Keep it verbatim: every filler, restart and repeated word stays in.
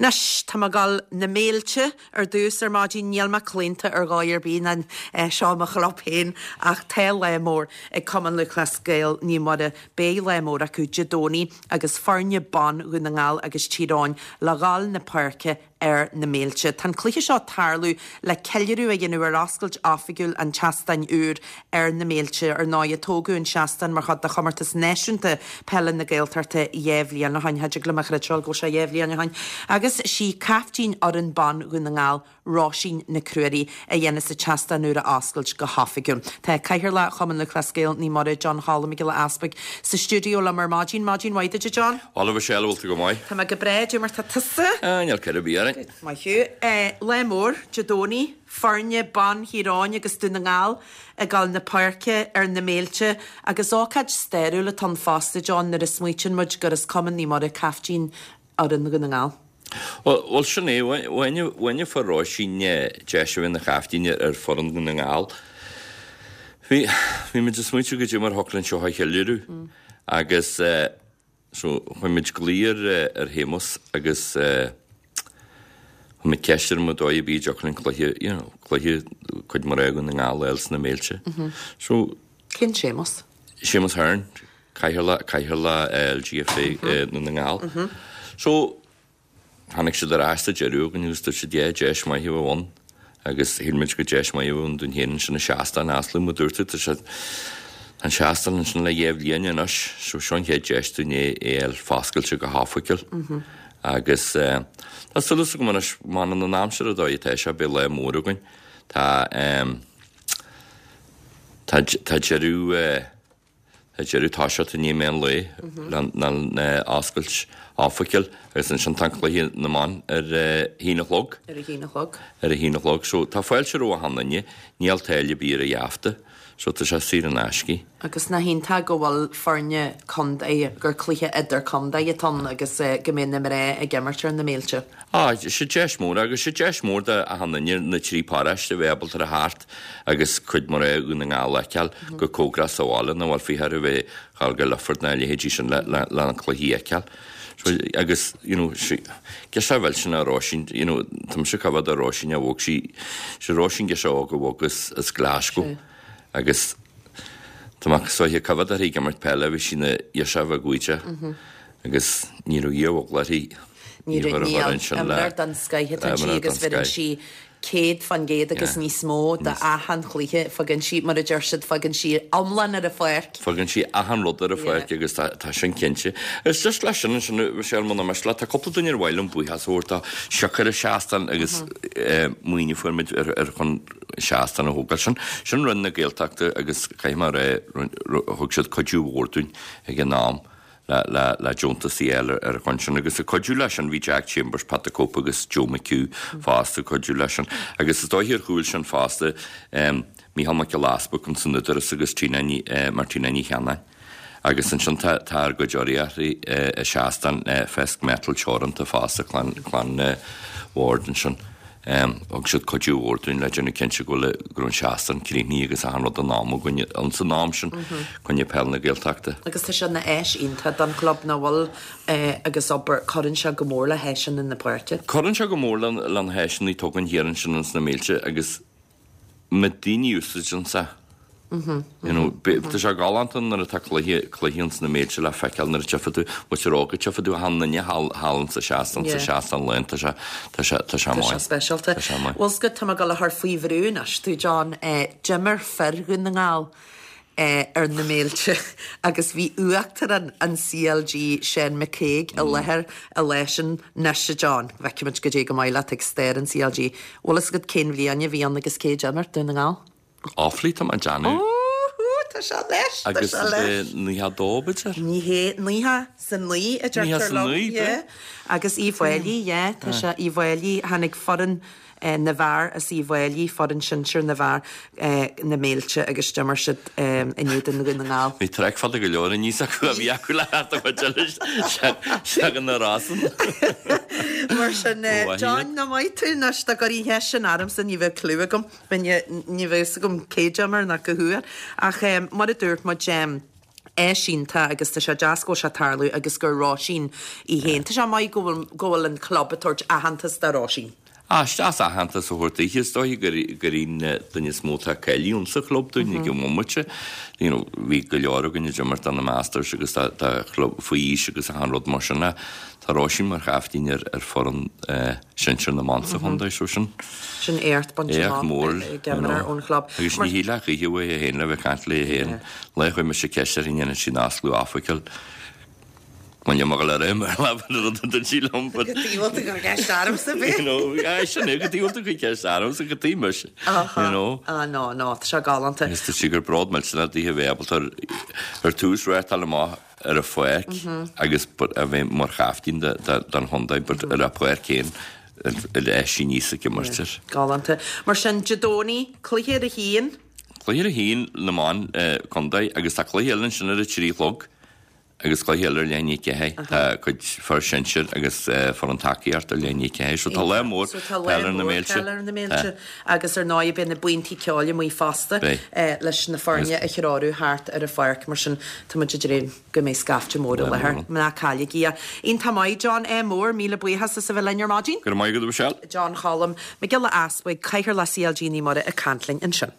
Anois, tá mé ag dul na Méilte ar dtús ar maidin, níl mé claonta ar dhóigh ar bith ná seo mo chlub féin ach tá lá mór ag Cumann Lúthchleas Gael Naomh Muire. Beidh lá mór acu Dé Domhnaigh agus foirne ban Dhún na nGall agus Tír Eoghain le dhul na páirce ar na Méilte. Tá an cluiche seo ag tarlú le ceiliúradh a dhéanamh ar oscailt oifigiúil an tseastáin úr ar na Méilte. Ar ndóigh, tógadh an seastán mar chuid de chomórtas náisiúnta peile na Gaeltachta dhá bhliain ó shin. Cha dtig liom a chreidbheáil go bhfuil sé dhá bhliain ó shin. Agus sí caiftín fhoireann ban Dhún na nGall, Róisín Nic Ruairí, a dhéanas an seastán úr a oscailt go hoifigiúil. Tá Cathaoirleach Chumann Lúthchleas Gael Naomh Muire, John Choilm Mac Giolla Easpaig, sa stiúideo liom ar maidin. Maidin mhaith duit, a John. Bhuel, a Mhichelle, bhfuil tú go maith? Tá mé go breá, cad é mar tá tusa? Ah, níl cor ar bith orainn. Maith thú. Lá mór, Dé Domhnaigh, foirne ban Thír Eoghain agus Dún na nGall ag dul na páirce ar na Méilte agus ócáid stairiúil atá ann fosta, John, nuair a smaoitíonn muid gur as Cumann Naomh Muire caiftín fhoireann Dhún na nGall. Bhuel, sin é, bhain fuair Róisín deis a bheith ina chaiftín ar foireann Dhún na nGall. Bhí, bhí muid ag smaointiú goidé mar thiocfadh linn seo a cheiliúradh agus so chuir muid glao ar ar Shéamus agus chuir muid ceist air an mbeadh dóigh ar bith a dtiocfadh linn cluiche, you know, cluiche cuid mhór Dhún na nGall a fháil sna Méilte. So. Cén Séamus? Séamus Hearne, Cathaoirleach, Cathaoirleach L G F A Dhún na nGall. So tháinig siad ar ais sa deireadh againn agus dúirt siad yeah, deis maith a bheadh ann agus shíl muid go deis maith a bheadh ann dúinn féin ansin an seastán a oscailt mar dúirt tú tá sé an seastán ansin le dhá bhliain anois so seo an chéad deis dúinn é é a fháil foscailte go hoifigiúil. Agus tá súil agam anois má fhanann an aimsir an dóigh atá sé beidh lá mór againn. Tá tá tá deireadh Tá deireadh toiseacht i ndiaidh meán lae lena oscailt oifigiúil agus ansin tá an cluiche na mban ar a haon a chlog. Ar a haon a chlog. Ar a haon a chlog. So tá fáilte roimh achan duine, níl táille ar bith ar an gheafta, so tá sé saor in aisce. Agus nach iontach go bhfuil foirne contae, gur cluiche idir contae atá ann agus go mbeidh na mná ag imirt ar na Méilte. Á, sé deis mór agus sé deis mór do achan duine na trí paráiste a bheith ábalta a theacht agus cuid mhór Dhún na nGall a fheiceáil go cóngarach sa bhaile nach bhfuil fiche ar bheith dhul go Lifford ná a leithéidí sin le le le an cluichí a fheiceáil. So, agus, you know, girseach mhillteanach Róisín, you know, tá mise ag coimhéad ar Róisín a bhog sí, sé Róisín girseach óg a bhog as as Glasgow agus tá mé sóiche ag coimhéad uirthi ag imirt peile, bhí sí ina ghirseach bheag bhaoideach agus ní raibh iar-bhogla uirthi. Ní raibh, níl, imreoir den scoith atá inti agus bheireann sí céad fán gcéad agus níos mó d'achan chluiche. Fagann sí, mar a deir siad, fagann sí iomlán ar an pháirc. Fagann sí achan rud ar an pháirc agus tá sin cinnte. Is just leis sin ansin, Michelle, muna miste leat, tá cúpla duine ar mhaith liom buíochas a thabhairt dó, siocair an seastán agus maoiniú a fuair muid ar chun seastán a thógáil. Sin, sin Roinn na Gaeltachta agus caithfidh mé a rá, thug siad cuidiú mhór dúinn ag an am. le le deontas a fháil ar an chun sin agus ag cuidiú leis sin bhí Jack Chambers, Pat the Cope agus Joe McHugh fosta ag cuidiú leis sin agus is dóiche ar chúl sin fosta Mícheál Mac Giolla Easpaig ins an Údarás agus Tina Ní Martina Ní Cheannáin. Agus ansin tá tá ár gcuid urraíochtaí i seastán Fisk Metal Teoranta fosta clann clann Ward ansin. Thug siad cuidiú mhór dúinn le déanamh cinnte go bhfuil go raibh an seastán críochnaithe agus achan rud in am againn ins an am sin coinne peil na Gaeltachta. Agus tá sé ina áis iontach don chlub nach bhfuil agus obair, cuireann sé go mór le háiseanna na páirce. Cuireann sé go mór le na háiseanna atá againn thiar ansin ins na Méilte agus na daoine úsáideann sé. You know, tá sé galánta nuair atá cluiche cluiche ins na Méilte le feiceáil nuair a tchífidh tú muintir óga tchífidh tú achan duine thall thall sa seastán sa seastán lán tá sé tá sé tá sé Tá sé maith. speisialta. Tá sé maith. Bhuel 's go tá mé ag dul a chur faoi bhrú anois tú John, d'imir fir Dhún na nGall ar na Méilte agus bhí uachtarán an C L G Seán McCague i láthair an lá sin anois a John. Feicfimid goidé go maith leat ag stair an C L G. Bhfuil fhios agat cén bhliain a bhí ann agus cé d'imir Dún na nGall? Offaly tá mé ag déanamh. Tá sé leis, tá Agus sé leis. naocha dó b'fhéidir? Ní hé naocha 's a naoi a Naocha deirtear 's a liom, naoi, yeah. Agus Uíbh Fhailí, yeah, tá sé Uíbh Fhailí, tháinig foireann na bhfear as Uíbh Fhailí, foireann sinsir na bhfear na Méilte agus d'imir siad in éadan Dhún na nGall. Bhí traic fada go leor aníos acu a bhí acu le theacht a chuid eile seachain na rásanna. Mar sin, John, nach maith tú anois dá gcuirfí an cheist sin ormsa ní bheadh clue agam. Ní bheadh fhios agam cé d'imir ná cá huair. Ach mar a dúirt muid, Áis iontach agus tá sé deas go bhfuil sé ag tarlú agus gur Róisín í féin. Tá sé maith go bhfuil go bhfuil an club ag tabhairt aitheantas do Róisín. Ah, is deas aitheantas a thabhairt daoithe, is dóigh gur gur í an duine is mó atá cáilithe insa chlub dúinn ag an bhomaite. You know, bhí go leor againn ag imirt do na Masters agus do do chlub faoi aois agus achan rud mar sin ach tá Róisín mar chaiftín ar ar foireann sinsir na mban sa chontae so sin Sin éacht bainte éacht amach mór, ag you imreoir know. ón chlub. Agus Mar ní shílfeá choíche uaithi féin le bheith ag caint léi féin. Lá chuir mise ceist uirthi an ndéanann sí nasclú athfhocail. Bhain mo ghoil ar aon leibhéal an rud a dúirt sí liom but Go diabhalta gur ceist ormsa bhí. you know, aye, sin é, go diabhalta gur ceist ormsa go dtí mise, you know. Ah no, no, tá sé galánta. Agus tá sé gur bród millteanach daoithe a bheith ábalta ar ar tús reáchtáil amach ar a pháirc agus but a bheith mar chaiftín de de den chontae but ar a páirc féin ar ar sí níos ag imirt air. Galánta. Mar sin, Dé Domhnaigh, cluiche ar a haon. Cluiche ar a haon na mban contae agus tá cluiche eile ansin ar a trí a chlog agus cluiche eile ar leath i ndiaidh a ceathair. Tá cuid fear sinsir agus foireann tacaíochta ar leath i ndiaidh a ceathair. So tá lá mór So tá lá peil ar na mór mílte. peil ar na mílte. Agus ar ndóigh beidh na buíontaí ceoil amuigh fosta Beidh. leis na foirne a threorú thart ar an pháirc. Mar sin tá muid ag dréim go mbeidh scaifte mór i Lá láthair. mór. Ná cailligí é. Iontach maith John ádh mór, míle buíochas as a bheith linn ar maidin. Go raibh maith agat a Mhichelle. John Cholm, Mac Giolla Easbuig, Cathaoirleach C L G Naomh Muire ag caint linn ansin.